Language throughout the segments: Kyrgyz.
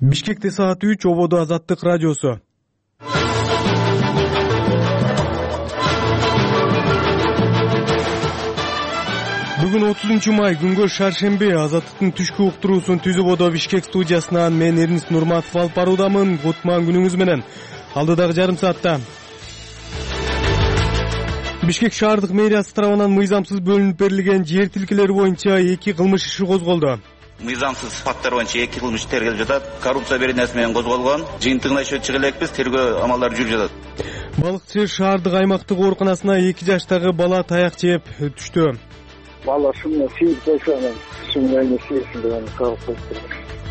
Бишкекте саат 3, ободо Азаттык радиосу. Бүгүн 30 май күнгө шаршемби. Азаттыктын түшкү уктуруусун түзүп одо Бишкек студиясынан мен Эрнис Нурматов алып баруудамын. Кутман күнүңүз менен. Алдыдагы жарым саатта Бишкек шаардык мэриясы тарабынан мыйзамсыз бөлүнүп берилген жер тилкелери боюнча 2 кылмыш иши козголду. Мыйзамсыз факттар боюнча 2 кылмыш тергелип жатат. Коррупция беренеси менен козголгон. Жыйынтыгына чыгып элекпиз. Тергөө амалдары жүрүп жатат. Балыкчы шаардык аймактык ооруканасына 2 жаштагы бала таяк жеп түштү. Бала шумна сүйүп койсо анан шумна эмесин деп аны калып коюптур.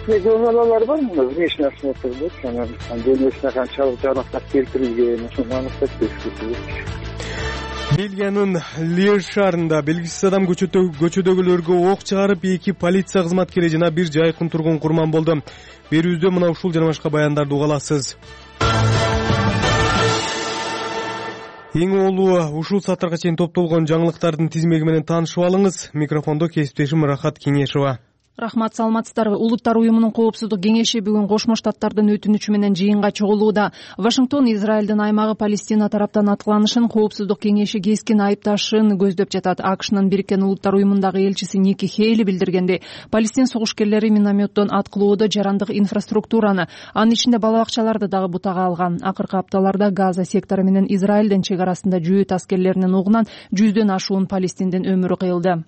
Балалар бар мына внешний осмотр болот, анан денесине канчалык жаракат келтирилген, ошону аныктап көрсөтүлөт. Бельгиянын Льеж шаарында белгисиз адам көчөдөгүлөргө ок чыгарып 2 полиция кызматкери жана 1 жайкын тургун курман болду. Берүүбүздө мына ушул жана башка баяндарды уга аласыз. Эң олуу ушул сааттарга чейин топтолгон жаңылыктардын тизмеги менен таанышып алыңыз. Микрофондо кесиптешим Рахат Кеңешова. Рахмат, саламатсыздарбы. Улуттар уюмунун коопсуздук кеңеши бүгүн Кошмо Штаттардын өтүнүчү менен жыйынга чогулууда. Вашингтон Израилдин аймагы Палестина тараптан аткыланышын коопсуздук кеңеши кескин айыпташын көздөп жатат. АКШнын Бириккен Улуттар уюмундагы элчиси Ники Хейли билдиргенде, Палестин согушкерлери минометтон аткылоодо жарандык инфраструктураны, анын ичинде бала бакчаларды дагы бутага алган. Акыркы апталарда Газа сектору менен Израилдин чек арасында жөөт аскерлеринин угунан 100дөн ашуун палестиндин өмүрү кыйылды.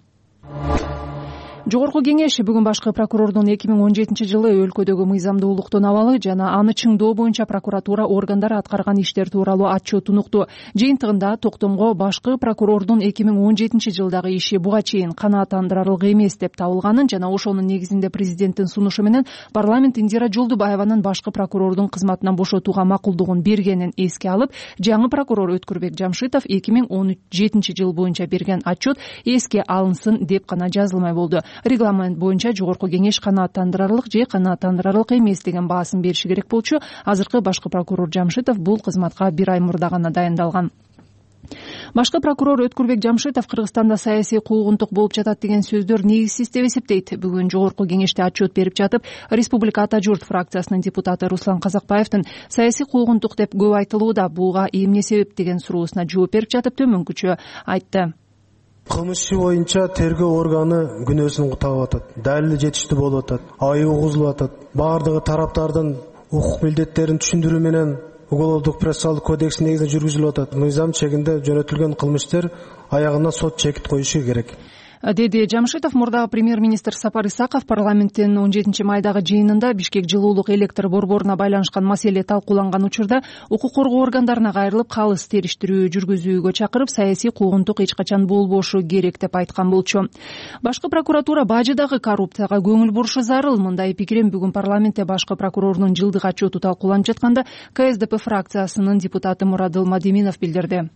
Жогорку кеңеш бүгүн башкы прокурордун 2017-жылы өлкөдөгү мыйзамдуулуктун абалы жана аны чыңдоо боюнча прокуратура органдары аткарган иштер тууралуу отчетун укту. Жыйынтыгында токтомго башкы прокурордун 2017-жылдагы иши буга чейин канааттандырарлык эмес деп табылганын жана ошонун негизинде президенттин сунушу менен парламент Индира Жолдубаеванын башкы прокурордун кызматынан бошотууга макулдугун бергенин эске алып, жаңы прокурор Өткүрбек Жамшитов 2017-жыл боюнча берген отчет эске алынсын деп гана жазылмай болду. Регламент боюнча жогорку кеңеш канааттандырарлык же канааттандырарлык эмес деген баасын бериши керек болчу. Азыркы башкы прокурор Жамшитов бул кызматка 1 ай мурда гана дайындалган. Башкы прокурор Өткүрбек Жамшитов Кыргызстанда саясий куугунтук болуп жатат деген сөздөр негизсиз деп эсептейт. Бүгүн жогорку кеңеште отчет берип жатып, Республика Ата журт фракциясынын депутаты Руслан Казакбаевдин саясий куугунтук деп көп айтылууда, буга эмне себеп деген суроосуна жооп берип жатып төмөнкүчө айтты. Кылмыш иши боюнча тергөө органы күнөөсүн табып атат. Далили жетиштүү болуп атат. Айып угузулуп атат. Бардыгы тараптардын укук милдеттерин түшүндүрүү менен Уголовдук процессуалдык кодекс негизинде жүргүзүлүп атат. Мыйзам чегинде жөнөтүлгөн кылмыштар аягына сот чекит коюшу керек, деди Жамшитов. Мурдагы премьер-министр Сапар Исаков парламенттин 17 майдагы жыйынында Бишкек жылуулук электр борборуна байланышкан маселе талкууланган учурда укук коргоо органдарына кайрылып, калыс териштирүү жүргүзүүгө чакырып, саясий куугунтук эч качан болбошу керек деп айткан болчу. Башкы прокуратура бажыдагы коррупцияга көңүл бурушу зарыл. Мындай пикирин бүгүн парламентте башкы прокурордун жылдык отчету талкууланып жатканда КСДП фракциясынын депутаты Мурадыл Мадиминов билдирди.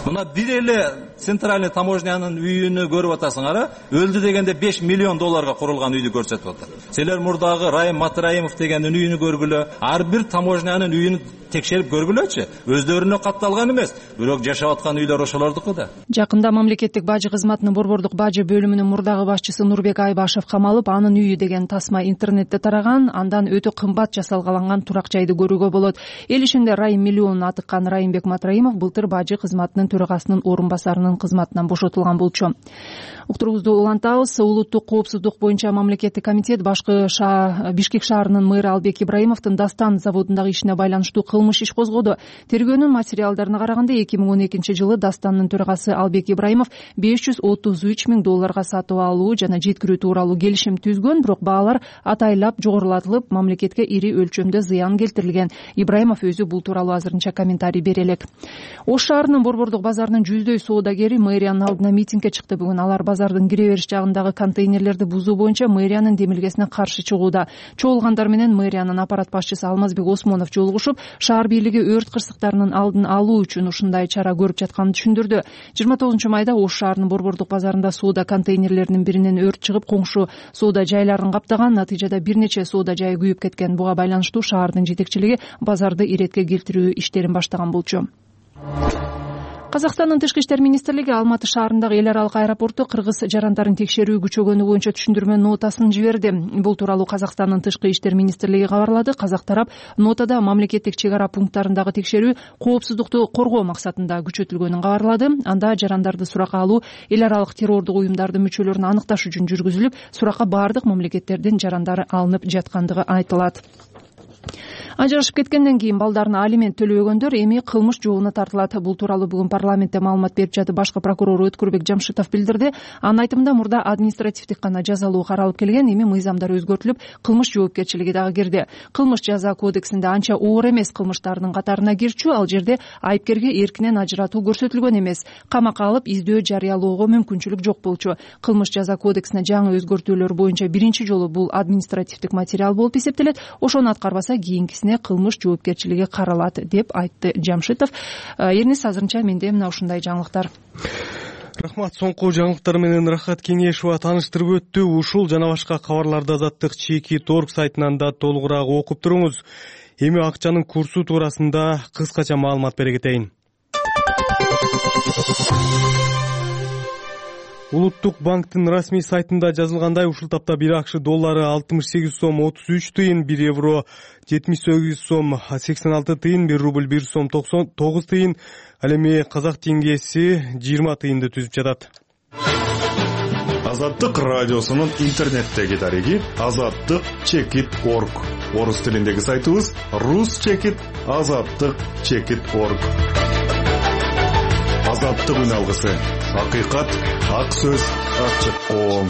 Мына бир эле центральный таможнянын үйүнү көрүп атасыңар, өлдү дегенде 5 миллион долларга курулган үйдү көрсөтүп атат. Силер мурдагы Райым Матраимов дегендин үйүнү көргүлө, ар бир таможнянын үйүн текшерип көргүлөчү. Өздөрүнө катталган эмес, бирок жашап аткан үйлөр ошолордуку да. Жакында мамлекеттик бажы кызматынын борбордук бажы бөлүмүнүн мурдагы башчысы Нурбек Айбашев камалып, анын үйү деген тасма интернетте тараган, андан өтө кымбат жасалгаланган турак жайды көрүүгө болот. Эл ишинде Райым миллионун атыккан Райымбек Матраимов былтыр бажы кызматынын төрагасынын орун басарынын кызматынан бошотулган болчу. Уктуруубузду улантабыз. Улуттук коопсуздук боюнча мамлекеттик комитет Бишкек шаарынын мэрі Албек Ибраимовдун Дастан заводундагы ишине байланыштуу кылмыш иш козгоду. Тергөөнүн материалдарына караганда 2012-жылы Дастандын төрагасы Албек Ибраимов $533 000 сатып алуу жана жеткирүү тууралуу келишим түзгөн, бирок баалар атайлап жогорулатылып, мамлекетке ири өлчөмдө зыян келтирилген. Ибраимов өзү бул тууралуу азырынча комментарий бере элек. Ош шаарынын борбордук базарынын 100дөй соодагери мэриянын алдына митингге чыкты. Бүгүн алар базардын кире бериш жагындагы контейнерлерди бузуу боюнча мэриянын демилгесине каршы чыгууда. Чогулгандар менен мэриянын аппарат башчысы Алмазбек Осмонов жолугушуп, шаар бийлиги өрт кырсыктарынын алдын алуу үчүн ушундай чара көрүп жатканын түшүндүрдү. 29 майда Ош шаарынын борбордук базарында соода контейнерлеринин биринен өрт чыгып, коңшу соода жайларын каптаган. Натыйжада бир нече соода жайы күйүп кеткен. Буга байланыштуу шаардын жетекчилиги базарды иретке келтирүү иштерин баштаган болчу. Казакстандын Тышкы иштер министрлиги Алматы шаарындагы эл аралык аэропорту кыргыз жарандарын текшерүү күчөгөнү боюнча түшүндүрмө нотасын жиберди. Бул тууралуу Казакстандын Тышкы иштер министрлиги кабарлады. Казак тарап нотада мамлекеттик чек ара пункттарындагы текшерүү коопсуздукту коргоо максатында күчөтүлгөнүн кабарлады. Анда жарандарды суракка алуу эл аралык террордук уюмдардын мүчөлөрүн аныкташ үчүн жүргүзүлүп, суракка баардык мамлекеттердин жарандары алынып жаткандыгы айтылат. Ажырашып кеткенден кийин балдарына алимент төлөбөгөндөр эми кылмыш жообуна тартылат. Бул тууралуу бүгүн парламентте маалымат берип жатып башкы прокурор Өткүрбек Жамшитов билдирди. Анын айтымында мурда административдик гана жазалуу каралып келген, эми мыйзамдар өзгөртүлүп, кылмыш жоопкерчилиги дагы кирди. Кылмыш жаза кодексинде анча оор эмес кылмыштардын катарына кирчү, ал жерде айыпкерге эркинен ажыратуу көрсөтүлгөн эмес. Камакка алып издөө жарыялоого мүмкүнчүлүк жок болчу. Кылмыш жаза кодексине жаңы өзгөртүүлөр боюнча биринчи жолу бул административдик материал болуп эсептелет. Ошону аткарбаса кийинкисине кылмыш жоопкерчилиги каралат деп айтты Жамшитов. Эрнис, азырынча менде мына ушундай жаңылыктар. Рахмат. Соңку жаңылыктар менен Рахат Кеңешова тааныштырып өттү. Ушул жана башка кабарларды Азаттык Чеки Торг сайтынан да толугураак окуп туруңуз. Эми акчанын курсу туурасында кыскача маалымат бере кетейин. Улуттук банктын расмий сайтында жазылгандай, ушул тапта 1 акш доллары 68 сом 33 тыйын, 1 евро 78 сом 86 тыйын, 1 рубль 1 сом 99 тыйын, ал эми казак теңгеси 20 тыйынды түзүп жатат. Азаттык радиосунун интернеттеги дареги azattık.org. Орус тилиндеги сайтыбыз rus.azattık.org. Азаттык үн алгысы. Акыйкат, ак сөз, ачык коом.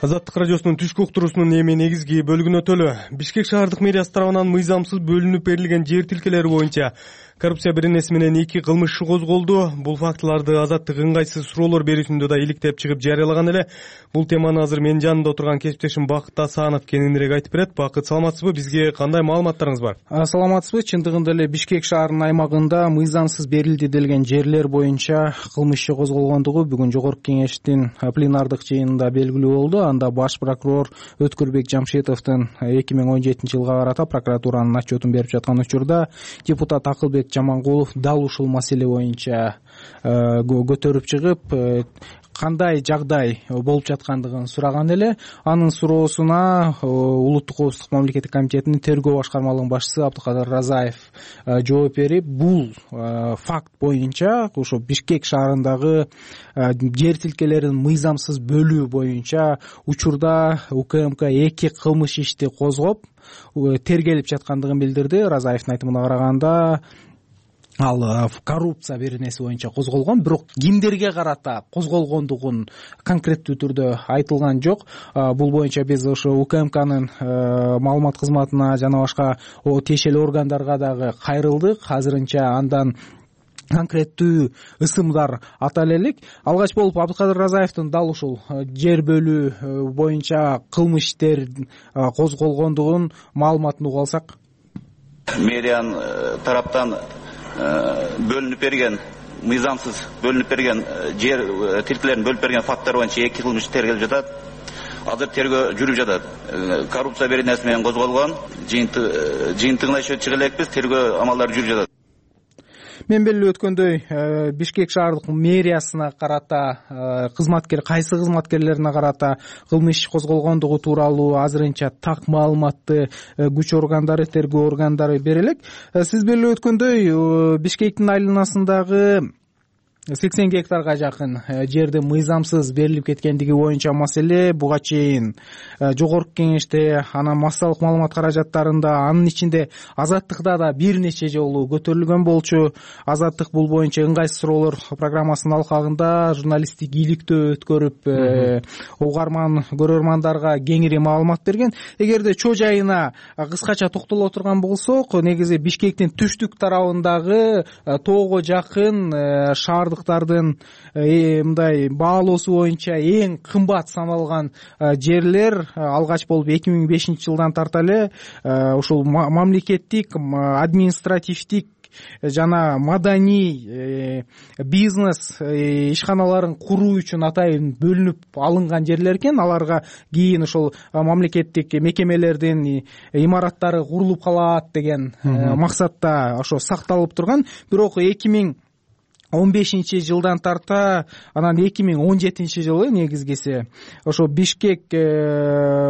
Азаттык радиосунун түшкү уктуруусунун эми негизги бөлүгүнө өтөлү. Бишкек шаардык мэриясы тарабынан мыйзамсыз бөлүнүп берилген жер тилкелери боюнча коррупция беренеси менен 2 кылмыш иши козголду. Бул фактыларды Азаттык ыңгайсыз суроолор берүүсүндө да иликтеп чыгып жарыялаган эле. Бул теманы азыр менин жанымда отурган кесиптешим Бакыт Асанов кененирээк айтып берет. Бакыт, саламатсызбы? Бизге кандай маалыматтарыңыз бар? Саламатсызбы? Чындыгында эле Бишкек шаарынын аймагында мыйзамсыз берилди делген жерлер боюнча кылмыш иши козголгондугу бүгүн жогорку кеңештин пленардык жыйынында белгилүү болду. Анда баш прокурор Өткүрбек Жамшитовдун 2017-жылга карата прокуратуранын отчетун берип жаткан учурда депутат Акылбек Жамангулов дал ушул маселе боюнча көтөрүп чыгып, кандай жагдай болуп жаткандыгын сураган эле. Анын суроосуна Улуттук коопсуздук мамлекеттик комитетинин тергөө башкармалыгынын башчысы Абдыкадыр Разаев жооп берип, бул факт боюнча ошо Бишкек шаарындагы жер тилкелерин мыйзамсыз бөлүү боюнча учурда УКМК 2 кылмыш ишти козгоп тергелип жаткандыгын билдирди. Разаевдин айтымына караганда, ал коррупция беренеси боюнча козголгон, бирок кимдерге карата козголгондугун конкреттүү түрдө айтылган жок. Бул боюнча биз ошо УКМКнын маалымат кызматына жана башка тиешелүү органдарга дагы кайрылдык. Азырынча андан конкреттүү ысымдар атала элек. Алгач болуп Абдыкадыр Разаевдин дал ушул жер бөлүү боюнча кылмыш иштер козголгондугун маалыматын угуп алсак. Мэриянын тараптан бөлүнүп берген, мыйзамсыз бөлүнүп берген жер тилкелерин бөлүп берген факттар боюнча 2 кылмыш тергелип жатат. Азыр тергөө жүрүп жатат. Коррупция беренеси менен козголгон, жыйынтыгына чыга элекпиз, тергөө амалдары жүрүп жатат. Мен белгилеп өткөндөй, Бишкек шаардык мэриясына карата кайсы кызматкерлерине карата кылмыш козголгондугу тууралуу азырынча так маалыматты күч органдары, тергөө органдары бере элек. Сиз белгилеп өткөндөй, Бишкектин айланасындагы 80 гектарга жакын жерде мыйзамсыз берилип кеткендиги боюнча маселе буга чейин жогорку кеңеште, анан массалык маалымат каражаттарында, анын ичинде Азаттыкта да бир нече жолу көтөрүлгөн болчу. Азаттык бул боюнча ыңгайсыз суроолор программасынын алкагында журналисттик иликтөө өткөрүп, угарман көрөрмандарга кеңири маалымат берген. Эгерде чоо жайына кыскача токтоло турган болсок, негизи Бишкектин түштүк тарабындагы тоого жакын шаардык мындай баалоосу боюнча эң кымбат саналган жерлер алгач болуп 2005-жылдан тарта эле ушул мамлекеттик, административдик жана маданий бизнес ишканаларын куруу үчүн атайын бөлүнүп алынган жерлер экен. Аларга кийин ошол мамлекеттик мекемелердин имараттары курулуп калат деген максатта ошо сакталып турган. Бирок 2015 жылдан тарта анан 2017 жылы негизгиси ошо Бишкек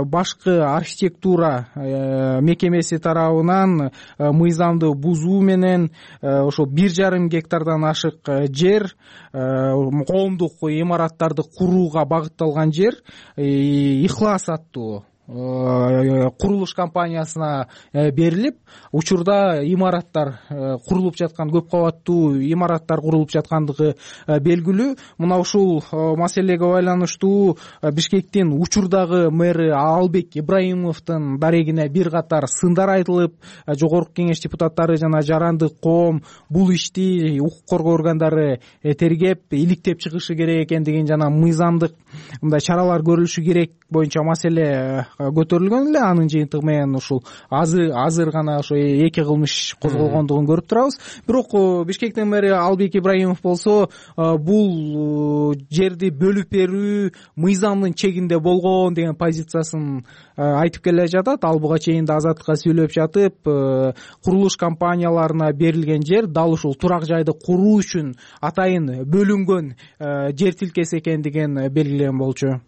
башкы архитектура мекемеси тарабынан мыйзамды бузуу менен ошо 1,5 гектардан ашык жер, коомдук имараттарды курууга багытталган жер Ихлас аттуу курулуш компаниясына берилип, учурда имараттар курулуп жаткан, көп кабаттуу имараттар курулуп жаткандыгы белгилүү. Мына ушул маселеге байланыштуу Бишкектин учурдагы мэри Албек Ибраимовдун дарегине бир катар сындар айтылып, жогорку кеңеш депутаттары жана жарандык коом бул ишти укук коргоо органдары тергеп, иликтеп чыгышы керек экендигин жана мыйзамдык мындай чаралар көрүлүшү керек боюнча маселе көтөрүлгөн эле. Анын жыйынтыгы менен ушул азыр гана ошо 2 кылмыш козголгондугун көрүп турабыз. Бирок Бишкектин мэри Албек Ибраимов болсо бул жерди бөлүп берүү мыйзамдын чегинде болгон деген позициясын айтып келе жатат. Ал буга чейин да Азаттыкка сүйлөп жатып, курулуш компанияларына берилген жер дал ушул турак жайды куруу үчүн атайын бөлүнгөн жер тилкеси экендигин белгилеген болчу.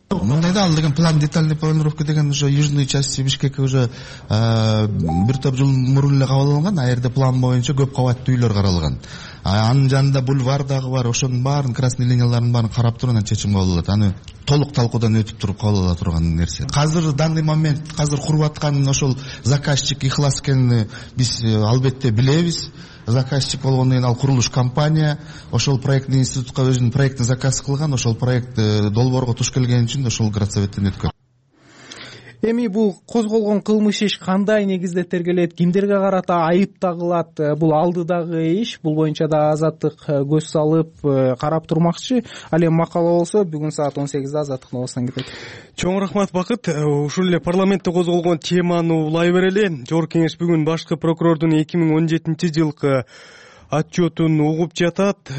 Мындайда ал деген план детальный планировка деген уже южный части Бишкекке уже бир топ жыл мурун эле кабыл алынган. А жерде план боюнча көп кабаттуу үйлөр каралган. Анын жанында бульвар дагы бар. Ошонун баарын, красный линияларын баарын карап туруп анан чечим кабыл алат. Аны толук талкуудан өтүп туруп кабыл ала турган нерсе. Азыр данный момент куруп аткан ошол заказчик Ихлас экенин биз албетте билебиз. Заказчик болгондон кийин ал курулуш компания ошол проектный институтка өзүнүн проектин заказ кылган. Ошол проект долбоорго туш келген үчүн ошол градсоветтен өткөн. Эми бул козголгон кылмыш иш кандай негизде тергелет, кимдерге карата айып тагылат, бул алдыдагы иш, бул боюнча да Азаттык көз салып карап турмакчы. Ал эми макала болсо бүгүн саат 18-де Азаттык новостан кетет. Чоң рахмат Бакыт. Ушул эле парламентте козголгон теманы улай берели. Жогорку кеңеш бүгүн башкы прокурордун 2017 жылкы отчетун угуп жатат.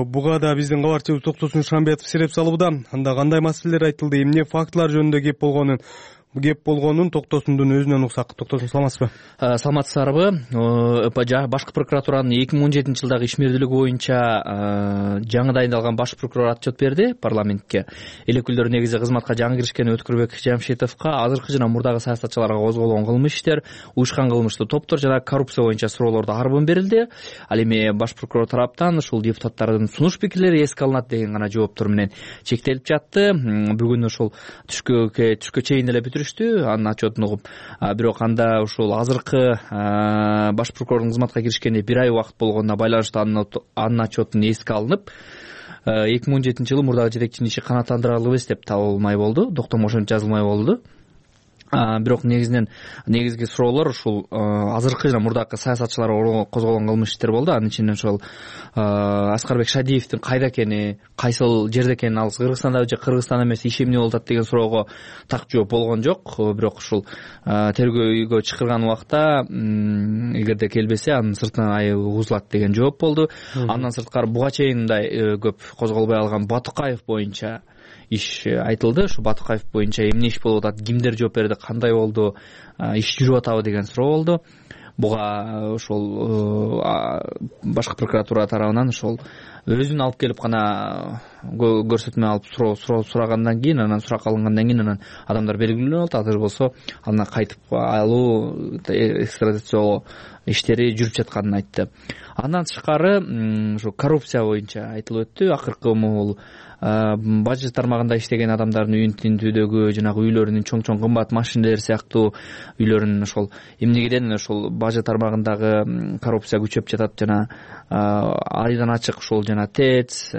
Буга да биздин кабарчыбыз Токтосун Шамбетов сереп салууда. Анда кандай маселелер айтылды, эмне фактылар жөнүндө кеп болгонун Токтосундун өзүнөн уксак. Токтосун, саламатсызбы? Саламатсыздарбы? Башкы прокуратуранын 2017 жылдагы ишмердүүлүгү боюнча жаңы дайындалган баш прокурор отчет берди парламентке. Элекүүлдөр негизи кызматка жаңы киришкен Өткүрбек Жамшитовго азыркы жана мурдагы саясатчыларга козголгон кылмыш иштер, уюшкан кылмыштуу топтор жана коррупция боюнча суроолордо арбын берилди. Ал эми баш прокурор тараптан ушул депутаттардын сунуш пикирлери эске алынат деген гана жооптор менен чектелип жатты. Бүгүн ушул түшкө чейин эле анын отчетун угуп, бирок анда ушул азыркы баш прокурордун кызматка киришкенине 1 ай убакыт болгонуна байланыштуу анын отчетун эске алынып, 2017 жылы мурдагы жетекчинин иши канааттандырылып эмес деп табылмай болду, доктомошон жазылмай болду. Бирок негизги суроолор ушул азыркы жана мурдакы саясатчыларга козголгон кылмыш иштер болду. Анын ичинен ошол Аскарбек Шадиевдин кайда экени, кайсыл жерде экени, ал Кыргызстанда же Кыргызстан эмес, иш эмне болуп атат деген суроого так жооп болгон жок. Бирок ушул тергөөгө чакырган убакта эгерде келбесе анын сыртынан айыбы угузулат деген жооп болду. Андан сырткары буга чейин мындай көп козголбой алган Батукаев боюнча иш айтылды. Ушу Батукаев боюнча эмне иш болуп атат, кимдер жооп берди, кандай болду, иш жүрүп атабы деген суроо болду. Буга ошол башкы прокуратура тарабынан ошол өзүн алып келип гана көрсөтмө алып сурагандан кийин, анан сурак алынгандан кийин анан адамдар белгиленип атат. Азыр болсо андан кайтып алуу, экстрадициялоо иштери жүрүп жатканын айтты. Андан тышкары ушу коррупция боюнча айтылып өттү. Акыркы бул бажы тармагында иштеген адамдардын үйүн тинтүүдөгү, жанагы үйлөрүнүн чоң кымбат машинелер сыяктуу үйлөрүнүн ошол эмнегеден ошол бажы тармагындагы коррупция күчөп жатат, жана айдан ачык ушул жана ТЭЦ,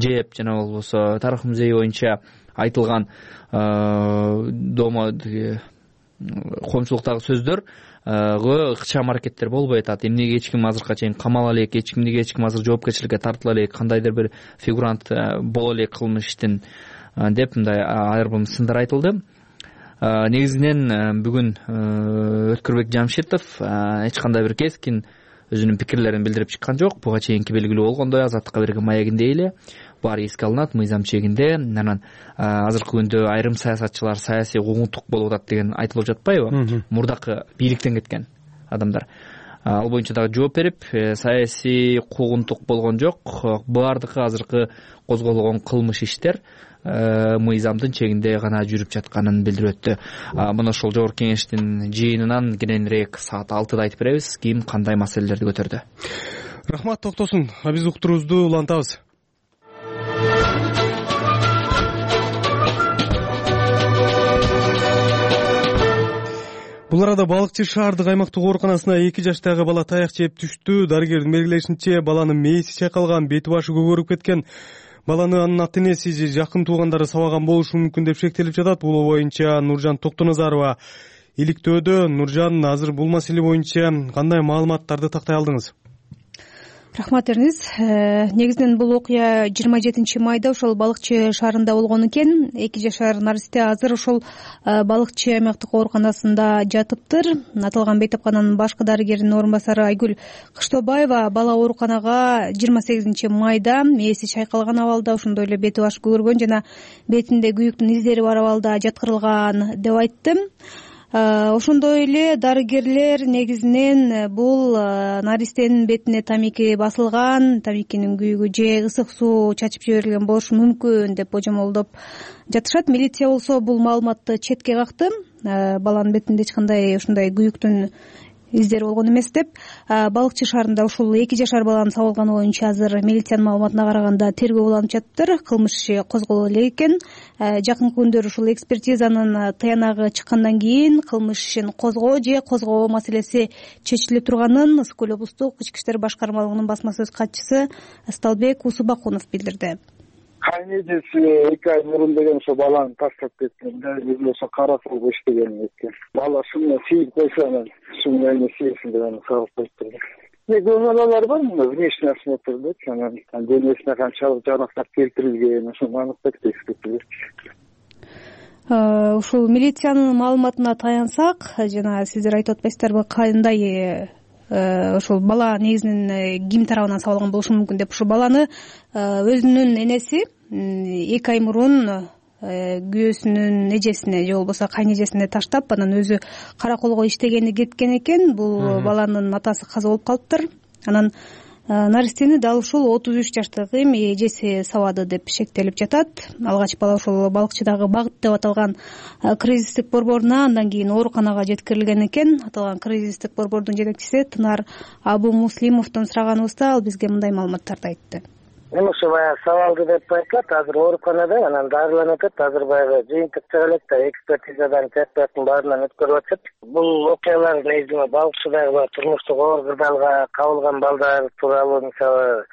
ЖЭП жана болбосо тарых музейи боюнча айтылган коомчулуктагы сөздөр ыкчам аракеттер болбой атат. Эмнеге эч ким азыркыга чейин камала элек, эч ким азыр жоопкерчиликке тартыла элек, кандайдыр бир фигурант боло элек кылмыш иштин деп мындай айрым сындар айтылды. Негизинен бүгүн Өткүрбек Жамшитов эч кандай бир кескин өзүнүн пикирлерин билдирип чыккан жок. Буга чейинки белгилүү болгондой Азаттыкка берген маегиндей эле баары эске алынат мыйзам чегинде. Анан азыркы күндө айрым саясатчылар саясий куугунтук болуп атат деген айтылып жатпайбы? Мурдакы бийликтен кеткен адамдар. ал боюнча дагы жооп берип, саясий куугунтук болгон жок, баардыгы азыркы козголгон кылмыш иштер мыйзамдын чегинде гана жүрүп жатканын билдирип өттү. Мына ошол жогорку кеңештин жыйынынан кененирээк саат 6-да айтып беребиз ким кандай маселелерди көтөрдү. Рахмат, токтосун. Биз уктуруубузду улантабыз. Бул арада Балыкчы шаардык аймактык ооруканасына 2 жаштагы бала таяк жеп түштү. Дарыгердин белгилешинче, баланын мээси чайкалган, бети башы көгөрүп кеткен. Баланы анын ата-энеси же жакын туугандары сабаган болушу мүмкүн деп шектелип жатат. Бул боюнча Нуржан Токтоназарова иликтөөдө. Нуржан, азыр бул маселе боюнча кандай маалыматтарды тактай алдыңыз? Рахмат Эрниз. Негизинен бул окуя 27 майда ошол Балыкчы шаарында болгон экен. 2 жашар наристе азыр ошол Балыкчы аймактык ооруканасында жатыптыр. Аталган бейтапкананын башкы дарыгеринин орун басары Айгүл Кыштобаева бала ооруканага 28 майда мээси чайкалган абалда, ошондой эле бети башы көгөргөн жана бетинде күйүктүн издери бар абалда жаткырылган деп айтты. Ошондой эле дарыгерлер негизинен бул наристенин бетине тамеки басылган, тамекинин күйүгү же ысык суу чачып жиберилген болушу мүмкүн деп божомолдоп жатышат. Милиция болсо бул маалыматты четке какты. Баланын бетинде эч кандай ушундай күйүктүн издери болгон эмес деп. Балыкчы шаарында ушул 2 жашар баланын сабалганы боюнча азыр милициянын маалыматына караганда тергөө уланып жатыптыр. Кылмыш иши козголо элек экен. Жакынкы күндөр ушул экспертизанын тыянагы чыккандан кийин кылмыш ишин козгоо же козгобоо маселеси чечиле турганын Ысык көл облустук ички иштер башкармалыгынын басма сөз катчысы Сталбек Усубакунов билдирди. Кайнежеси 2 ай мурун деген ошо баланы таштап кеткен. Өзү болсо кара сулга иштеген экен. Бала шуну сүйүп койсо анан шуну эме сүйсүн деп анан салып коюптур. Гомолалар бар мына внешний осмотрда, анан денесине канчалык жаракат келтирилген, ошону аныктап текшертилет. Ушул милициянын маалыматына таянсак, жана сиздер айтып атпайсыздарбы, кандай ошол бала негизинен ким тарабынан сабалган болушу мүмкүн деп. Ушул баланы өзүнүн энеси 2 ай мурун күйөөсүнүн эжесине же болбосо кайнэжесине таштап, анан өзү караколго иштегени кеткен экен. Бул баланын атасы каза болуп калыптыр. Анан наристени дал ушул 33 жаштагы эжеси сабады деп шектелип жатат. Алгач бала ошол Балыкчыдагы Багыт деп аталган кризистик борборуна, андан кийин ооруканага жеткирилген экен. Аталган кризистик борбордун жетекчиси Тынар Абу Муслимовдон сураганыбызда ал бизге мындай маалыматтарды айтты. Ошо баягы сабалды деп айтылат, азыр ооруканада анан дарыланып атат. Азыр баягы жыйынтык чыга элек да, экспертизадан тесттин баарынан өткөрүп атышат. Бул окуялар негизинен Балыкчыдагы турмуштук оор кырдаалга кабылган балдар тууралуу, мисалы,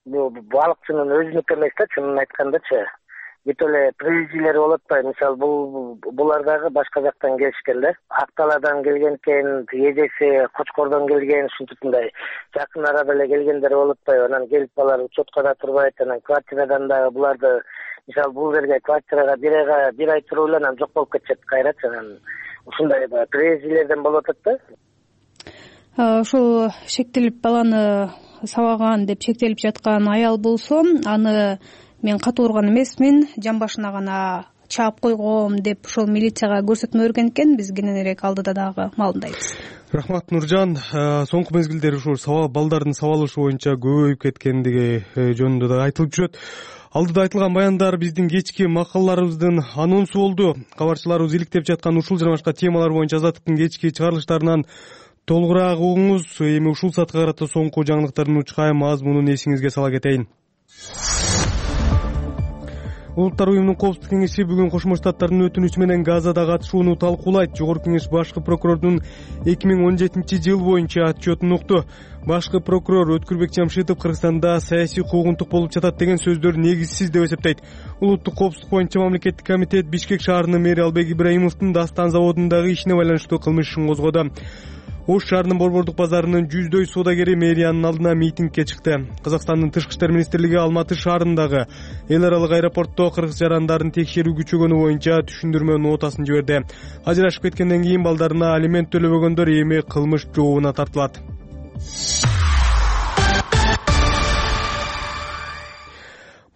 бул балыкчынын өзүнүкү эмес да, чынын айткандачы. Бүт эле приезжилер болуп атпайбы? Мисалы, булар дагы башка жактан келишкен да. Акталадан келген экен, эжеси Кочкордон келген, ушинтипмындай жакын арада эле келгендер болуп атпайбы? Анан келип балар учетко да турбайт, анан квартирадан дагы буларды, мисалы, бул жерге квартирага бир ай туруп эле анан жок болуп кетишет кайрачы. Анан ушундай приезжилерден болуп атат да. Ушул шектелип баланы сабаган деп шектелип жаткан аял болсо, аны мен катуу урган эмесмин, жан башына гана чаап койгом деп ошол милицияга көрсөтмө берген экен. Биз кененирээк алдыда дагы маалымдайбыз. Рахмат, Нуржан. Соңку мезгилдери ушул балдардын сабалышы боюнча көбөйүп кеткендиги жөнүндө да айтылып жүрөт. Алдыда айтылган баяндар биздин кечки макалаларыбыздын анонсу болду. Кабарчыларыбыз иликтеп жаткан ушул жана башка темалар боюнча Азаттыктын кечки чыгарылыштарынан толугураак угуңуз. Эми ушул саатка карата соңку жаңылыктардын учкай мазмунун эсиңизге сала кетейин. Улуттар уюмунун коопсуздук кеңеши бүгүн Кошмо Штаттардын өтүнүчү менен Газада катышууну талкуулайт. Жогорку кеңеш башкы прокурордун 2017 жыл боюнча отчетун укту. Башкы прокурор Өткүрбек Жамшитов Кыргызстанда саясий куугунтук болуп жатат деген сөздөр негизсиз деп эсептейт. Улуттук коопсуздук боюнча мамлекеттик комитет Бишкек шаарынын мэри Албек Ибраимовдун Дастан заводундагы ишине байланыштуу кылмыш ишин козгоду. Ош шаарынын Борбордук базарынын жүздөй соодагери мэриянын алдына митингге чыкты. Казакстандын Тышкы иштер министрлиги Алматы шаарындагы эл аралык аэропортто кыргыз жарандарын текшерүү күчөгөнү боюнча түшүндүрмө нотасын жиберди. Ажырашып кеткенден кийин балдарына алимент төлөбөгөндөр эми кылмыш жообуна тартылат.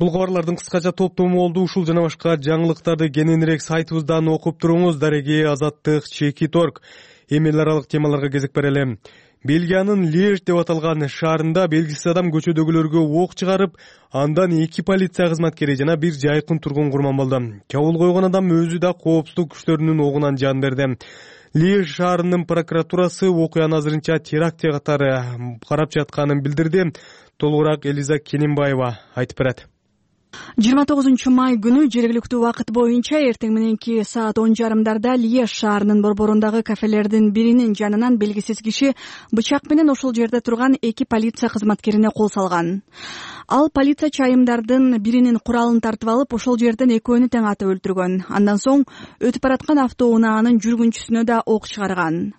Бул кабарлардын кыскача топтому болду. Ушул жана башка жаңылыктарды кененирээк сайтыбыздан окуп туруңуз. Дареги Азаттык, Чеки Торг. Эми эл аралык темаларга кезек берели. Бельгиянын Льеж деп аталган шаарында белгисиз адам көчөдөгүлөргө ок чыгарып, андан 2 полиция кызматкери жана 1 жайкын тургун курман болду. Чабуул койгон адам өзү да коопсуздук күчтөрүнүн огунан жан берди. Льеж шаарынын прокуратурасы окуяны азырынча теракт катары карап жатканын билдирди. Толугураак Элиза Кененбаева айтып берет. 29 май күнү жергиликтүү убакыт боюнча эртең мененки саат 10:30 Льеж шаарынын борборундагы кафелердин биринин жанынан белгисиз киши бычак менен ошол жерде турган 2 полиция кызматкерине кол салган. Ал полиция чайымдардын биринин куралын тартып алып, ошол жерден экөөнү тең атып өлтүргөн. Андан соң өтүп бараткан автоунаанын жүргүнчүсүнө да ок чыгарган.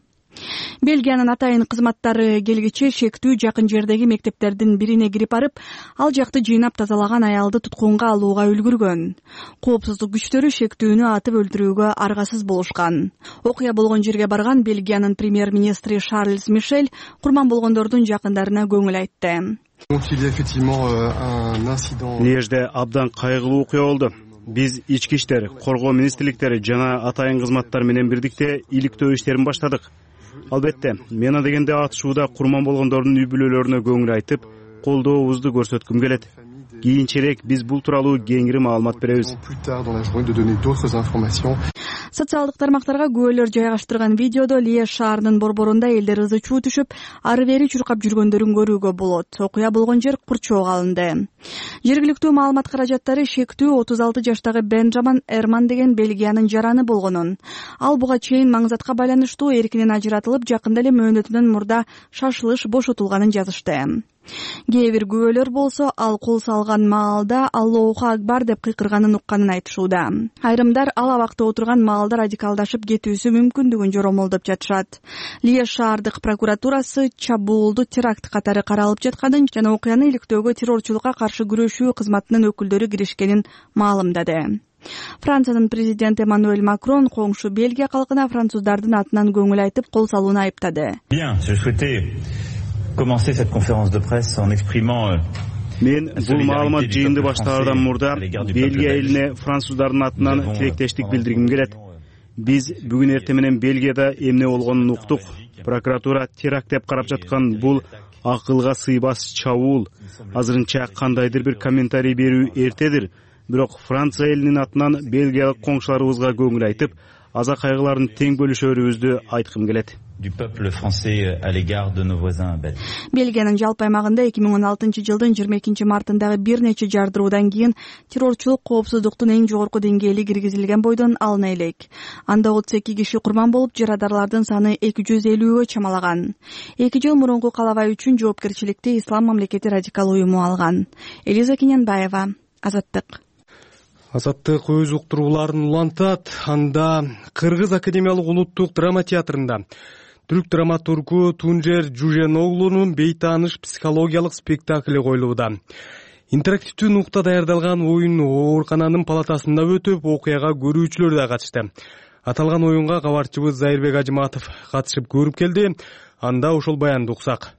Бельгиянын атайын кызматтары келгиче шектүү жакын жердеги мектептердин бирине кирип барып, ал жакты жыйнап тазалаган аялды туткунга алууга үлгүргөн. Коопсуздук күчтөрү шектүүнү атып өлтүрүүгө аргасыз болушкан. Окуя болгон жерге барган Бельгиянын премьер-министри Шарльз Мишель курман болгондордун жакындарына көңүл айтты. Льежде абдан кайгылуу окуя болду. Биз ички иштер, коргоо министрликтери жана атайын кызматтар менен бирдикте иликтөө иштерин баштадык. Албетте, мена дегенде атышууда курман болгондордун үй бүлөлөрүнө көңүл айтып, колдообузду көрсөткүм келет. Кийинчерээк биз бул тууралуу кеңири маалымат беребиз. Социалдык тармактарга күбөлөр жайгаштырган видеодо Льеж шаарынын борборунда элдер ызы чуу түшүп, ары бери чуркап жүргөндөрүн көрүүгө болот. Окуя болгон жер курчоого алынды. Жергиликтүү маалымат каражаттары шектүү 36 жаштагы Бенджамин Эрман деген Бельгиянын жараны болгонун. Ал буга чейин маңзатка байланыштуу эркинен ажыратылып, жакында эле мөөнөтүнөн мурда шашылыш бошотулганын жазышты. Кээ бир күбөлөр болсо, ал кол салган маалда Аллоху акбар деп кыйкырганын укканын айтышууда. Айрымдар ал абакта отурган маалда радикалдашып кетүүсү мүмкүндүгүн жоромолдоп жатышат. Льеж шаардык прокуратурасы чабуулду теракт катары каралып жатканын жана окуяны иликтөөгө террорчулукка каршы күрөшүү кызматынын өкүлдөрү киришкенин маалымдады. Франциянын президенти Эммануэль Макрон коңшу Бельгия калкына француздардын атынан көңүл айтып, кол салууну айыптады. Commencer cette conférence de presse en exprimant Мен бул маалымат жыйынды баштаардан мурда Бельгия элине француздардын атынан тилектештик билдиргим келет. Биз бүгүн эртең менен Бельгияда эмне болгонун уктук. Прокуратура теракт деп карап жаткан бул акылга сыйбас чабуул. Азырынча кандайдыр бир комментарий берүү эртедир. Бирок Франция элинин атынан Бельгиялык коңшуларыбызга көңүл айтып, аза кайгыларын тең бөлүшөрүбүздү айткым келет. Du peuple français à l'égard de nos voisins belges. Бельгиянын жалпы аймагында 2016 жылдын 22 мартындагы бир нече жардыруудан кийин террорчулук коопсуздуктун эң жогорку деңгээли киргизилген бойдон алына элек. Анда 32 киши курман болуп, жарадарлардын саны 250гө чамалаган. 2 жыл мурунку калабай үчүн жоопкерчиликти Ислам мамлекети радикал уюму алган. Элиза Кененбаева, Азаттык. Азаттык өз уктурууларын улантат. Анда Кыргыз академиялык улуттук драма театрында түрк драматургу Тунжер Жуженоглунун бейтааныш психологиялык спектакли коюлууда. Интерактивдүү нукта даярдалган оюн оорукананын палатасында өтүп, окуяга көрүүчүлөр да катышты. Аталган оюнга кабарчыбыз Зайырбек Ажыматов катышып көрүп келди. Анда ошол баянды уксак.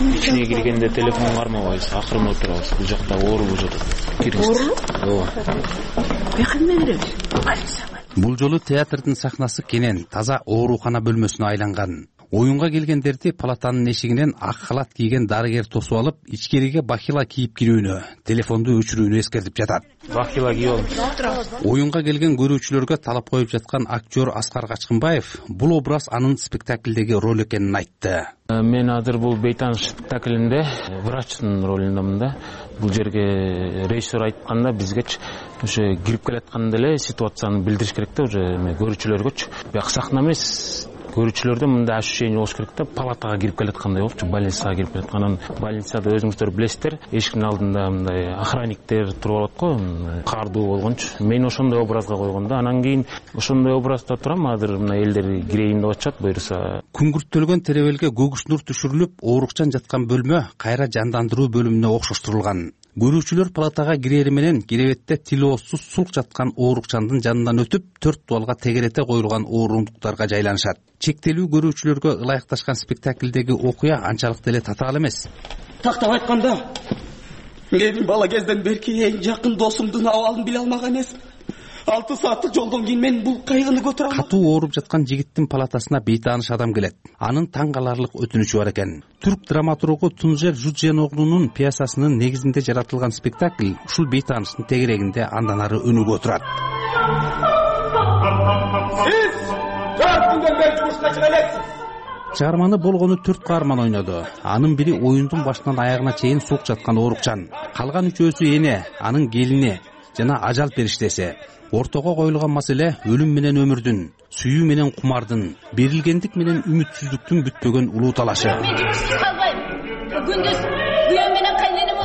Ичине киргенде телефон кармабайбыз, акырын отурабыз. Бул жакта оорулуу жатат. Оорулуу? Ооба. Бекинде беребиз. Бул жолу театрдын сахнасы кенен, таза оорукана бөлмөсүнө айланган. Оюнга келгендерди палатанын эшигинен ак халат кийген дарыгер тосуп алып, ичкериге бахила кийип кирүүнү, телефонду өчүрүүнү эскертип жатат. Бахила кийип алып. Оюнга келген көрүүчүлөргө талап коюп жаткан актер Аскар Качкынбаев бул образ анын спектаклдеги роль экенин айтты. Мен азыр бул бейтааныш спектаклинде врачтын ролундамын да. Бул жерге режиссер айтканда бизгечи ошо кирип келатканда эле ситуацияны билдириш керек да, уже көрүүчүлөргөчү. Бияк сахна эмес, көрүүчүлөрдө мындай ощущение болуш керек да, палатага кирип келаткандай болчу, больницага кирип келатканын. Больницада өзүңүздөр билесиздер, эшиктин алдында мындай охранниктер туруп алат го, кардуу болгончу. Мен ошондой образга койгон да, анан кийин ошондой образда турам, азыр мына элдер кирейин деп атышат, буюрса. Күңгүрттөлгөн теребелге көгүс нур түшүрүлүп, оорукчан жаткан бөлмө кайра жандандыруу бөлүмүнө окшоштурулган. Көрүүчүлөр палатага кирери менен керебетте тилоосуз сулк жаткан оорукчандын жанынан өтүп, 4 дуалга тегерете коюлган орундуктарга жайланышат. Чектелүү көрүүчүлөргө ылайыкташкан спектаклдеги окуя анчалык деле татаал эмес. Тактап айтканда, мен бала кезден берки эң жакын досумдун абалын биле алмаган эмесмин. 6 сааттык жолдон кийин мен бул кайгыны көтөрө алмадым. Катуу ооруп жаткан жигиттин палатасына бейтааныш адам келет. Анын таң каларлык өтүнүчү бар экен. Түрк драматургу Тунжер Жуженоглунун пьесасынын негизинде жаратылган спектакль ушул бейтааныштын тегерегинде андан ары өнүгүп отурат. Сиз 4 күндөн бери жумушка чыга элексиз. Чыгарманы болгону 4 каарман ойноду. Анын бири оюндун башынан аягына чейин сук жаткан оорукчан. Калган үчөөсү эне, анын келини жана ажал периштеси. Ортого коюлган маселе өлүм менен өмүрдүн, сүйүү менен кумардын, берилгендик менен үмүтсүздүктүн бүтпөгөн улуу талашы.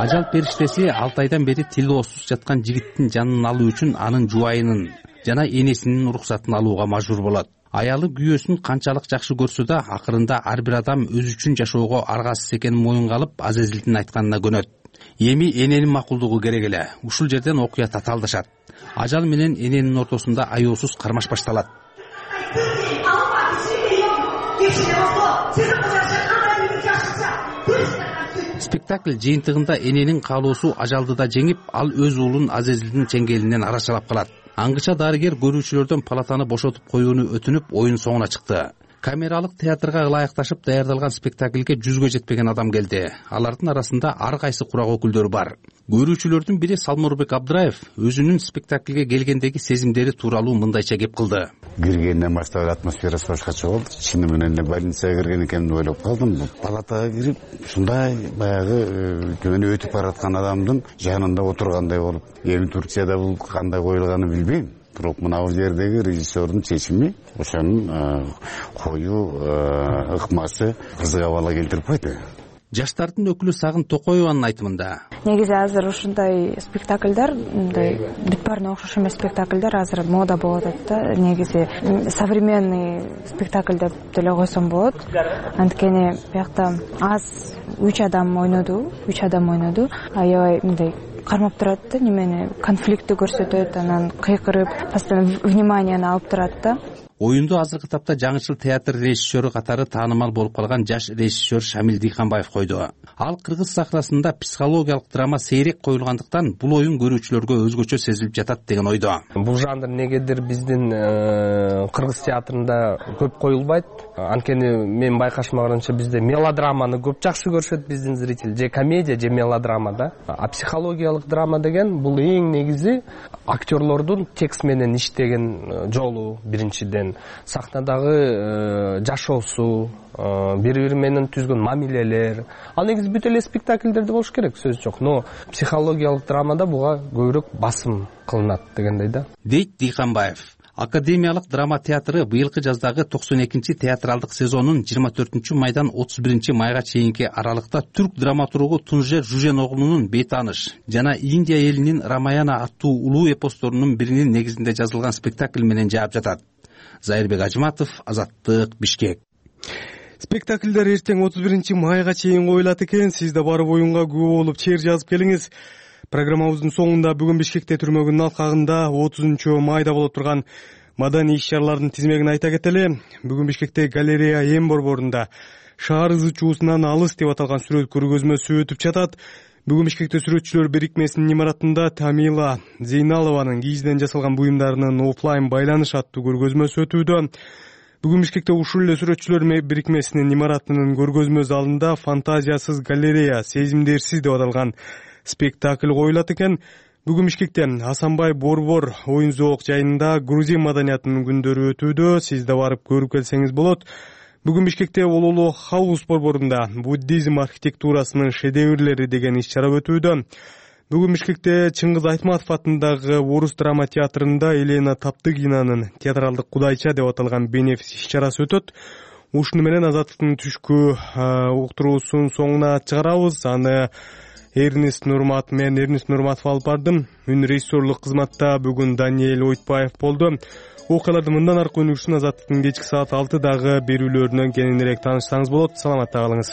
Ажал периштеси 6 айдан бери тилоосуз жаткан жигиттин жанын алуу үчүн анын жубайынын жана энесинин уруксатын алууга мажбур болот. Аялы күйөөсүн канчалык жакшы көрсө да, акырында ар бир адам өзү үчүн жашоого аргасыз экенин моюнга алып, Азезилдин айтканына көнөт. Эми эненин макулдугу керек эле. Ушул жерден окуя татаалдашат. Ажал менен эненин ортосунда аяосуз кармаш башталат. Спектакль жыйынтыгында эненин каалоосу ажалды да жеңип, ал өз уулун Азезилдин чеңгелинен арашалап калат. Аңгыча дарыгер көрүүчүлөрдөн палатаны бошотуп коюуну өтүнүп, оюн соңуна чыкты. Камералык театрга ылайыкташып даярдалган спектакльге 100гө жетпеген адам келди. Алардын арасында ар кайсы курак өкүлдөрү бар. Көрүүчүлөрдүн бири Салмурбек Абдыраев өзүнүн спектакльге келгендеги сезимдери тууралуу мындайча кеп кылды. Киргенден баштап атмосферасы башкача болду. Чыны менен эле больницага кирген экенин деп ойлоп калдым. Палатага кирип, ушундай баягы жөнү өтүп бараткан адамдын жанында отургандай болуп, эми Турцияда бул кандай коюлганын билбейм. Бирок мына бул жердеги режиссердун чечими ошонун коюу ыкмасы кызык абалга келтирип койду. Жаштардын өкүлү Сагын Токоеванын айтымында, негизи азыр ушундай спектакльдар, мындай бүт баарына окшош эмес спектакльдар азыр мода болуп атат да. Негизи современный спектакль деп деле койсом болот. Анткени биякта аз 3 адам ойноду, аябай мындай кармап турат да, немени конфликтти көрсөтөт, анан кыйкырып, постоянно вниманияны алып турат да. Оюнду азыркы тапта жаңычыл театр режиссеру катары таанымал болуп калган жаш режиссер Шамил Дыйканбаев койду. Ал кыргыз сахнасында психологиялык драма сейрек коюлгандыктан бул оюн көрүүчүлөргө өзгөчө сезилип жатат деген ойдо. Бул жанр негедир биздин кыргыз театрында көп коюлбайт. Анткени мен байкашмаганымча бизде мелодраманы көп жакшы көрүшөт биздин зритель, же комедия, же мелодрама да. А психологиялык драма деген бул эң негизи актерлордун текст менен иштеген жолу биринчиден, сахнадагы жашоосу, бири-бири менен түзгөн мамилелер. Ал негизи бүт эле спектакльдерде болуш керек, сөз жок. Но психологиялык драмада буга көбүрөөк басым кылынат дегендей да. Дейт Дыйканбаев. Академиялык драма театры быйылкы жаздагы 92-чи театралдык сезонун 24-майдан 31-майга чейинки аралыкта түрк драматургу Тунжер Жуженоглунун Бейтааныш жана Индия элинин Рамаяна аттуу улуу эпосторунун биринин негизинде жазылган спектакль менен жаап жатат. Зайырбек Ажматов, Азаттык, Бишкек. Спектакльдер эртең 31-майга чейин коюлат экен. Сиз да барып оюнга күбө болуп чейир жазып келиңиз. Программабыздын соңунда бүгүн Бишкекте түрмөгүнүн алкагында 30-майда боло турган маданий иш-чаралардын тизмегин айта кетели. Бүгүн Бишкекте галерея М борборунда шаар ызы чуусунан алыс деп аталган сүрөт көргөзмөсү өтүп жатат. Бүгүн Бишкекте сүрөтчүлөр бирикмесинин имаратында Тамила Зейналованын кийизден жасалган буюмдарынын офлайн байланыш аттуу көргөзмөсү өтүүдө. Бүгүн Бишкекте ушул эле сүрөтчүлөр бирикмесинин имаратынын көргөзмө залында фантазиясыз галерея, сезимдерсиз деп аталган спектакль коюлат экен. Бүгүн Бишкекте Асанбай Борбор оюн зоок жайында грузин маданиятынын күндөрү өтүүдө. Сиз да барып көрүп келсеңиз болот. Бүгүн Бишкекте Ололо Хаус борборунда буддизм архитектурасынын шедеврлери деген иш-чара өтүүдө. Бүгүн Бишкекте Чыңгыз Айтматов атындагы Орус драма театрында Елена Таптыгинанын театралдык кудайча деп аталган бенефис иш-чарасы өтөт. Ушуну менен Азаттыктын түшкү уктуруусунун соңуна чыгарабыз. Аны Эрнест Нурматов алып бардым. Үн режиссерлук кызматта бүгүн Даниэль Ойтбаев болду. Окуяларды мындан аркы өнүгүшүн Азаттыктын кечки саат 6-дагы берүүлөрүнөн кененирээк таанышсаңыз болот. Саламатта калыңыз.